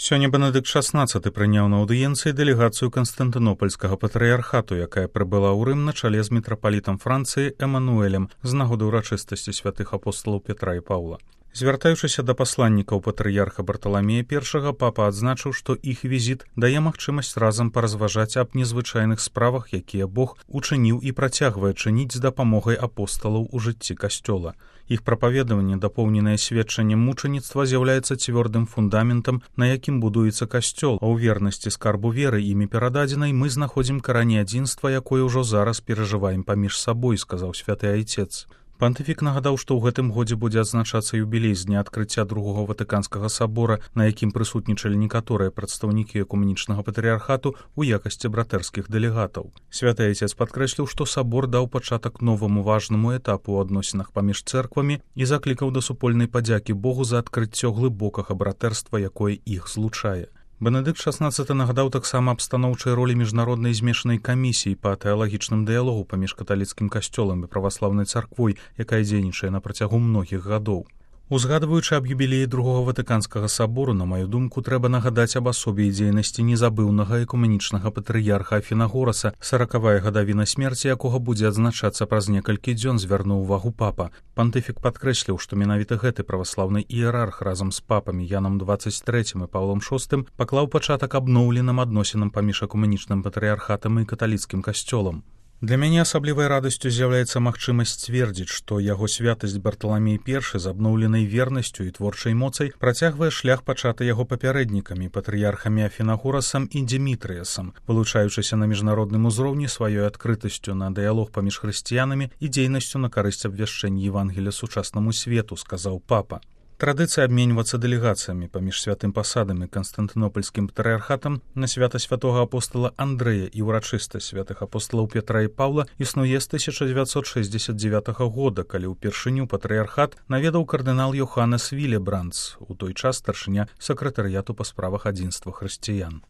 Сёння Бенедыкт XVI прыняў на аўдыенцыі дэлегацыю Канстантынопольскага патрыярхату, якая прыбыла ў Рым на чале з мітрапалітам Францыі Эмануэлем з нагоды ўрачыстасці святых апосталаў Петра і Паўла. Звяртаючыся да пасланнікаў патрыярха Барталамея I, папа адзначыў, што іх візіт дае магчымасць разам паразважаць аб незвычайных справах, якія Бог учыніў і працягвае чыніць з дапамогай апосталаў у жыцці касцёла. Іх прапаведаванне, дапоўненае сведчаннем мучаніцтва, з'яўляецца цвёрдым фундаментам, на якім будуецца касцёл, а ў вернасці скарбу веры імі перададзенай мы знаходзім карані адзінства, якое ўжо зараз перажываем паміж сабой, сказаў святы айцец. Пантыфік нагадаў, што ў гэтым годзе будзе адзначацца юбілей з дня адкрыцця Другога Ватыканскага сабора, на якім прысутнічалі некаторыя прадстаўнікі экумэнічнага патрыярхату ў якасці братэрскіх дэлегатаў. Святы айцец падкрэсліў, што сабор даў пачатак новаму важнаму этапу ў адносінах паміж цэрквамі і заклікаў да супольнай падзякі Богу за адкрыццё глыбокага братэрства, якое іх злучае. Бенедыкт XVI нагадаў таксама аб станоўчай ролі міжнароднай змешанай камісіі па тэалагічным дыялогу паміж каталіцкім касцёлам і праваслаўнай царквой, якая дзейнічае на працягу многіх гадоў. Узгадваючы аб юбілеі Другога Ватыканскага сабору, на маю думку, трэба нагадаць аб асобе і дзейнасці незабыўнага экумэнічнага патрыярха Афінагораса, 40-я гадавіна смерці якога будзе адзначацца праз некалькі дзён, звярнуў увагу папа. Пантыфік падкрэсліў, што менавіта гэты праваслаўны іерарх разам з папамі Янам XXIII і Паўлом VI паклаў пачатак абноўленым адносінам паміж экумэнічным патрыярхатам і каталіцкім касцёлам. Для мяне асаблівай радасцю з'яўляецца магчымасць сцвердзіць, што яго святасць Барталамей I з абноўленай вернасцю і творчай моцай працягвае шлях пачаты яго папярэднікамі, патрыярхамі Афінагорасам і Дзімітрыясам, вылучаючыся на міжнародным узроўні сваёй адкрытасцю на дыялог паміж хрысціянамі і дзейнасцю на карысць абвяшчэння Евангелія сучаснаму свету, сказаў папа. Традыцыя абменьвацца дэлегацыямі паміж святым пасадам і Канстантынопольскім патрыярхатам на свята святога апостала Андрэя і ўрачыстасць святых апосталаў Петра і Паўла існуе з 1969 года, калі ўпершыню патрыярхат наведаў кардынал Йоханнес Вілебрандс, у той час старшыня сакратарыяту па справах адзінства хрысціян.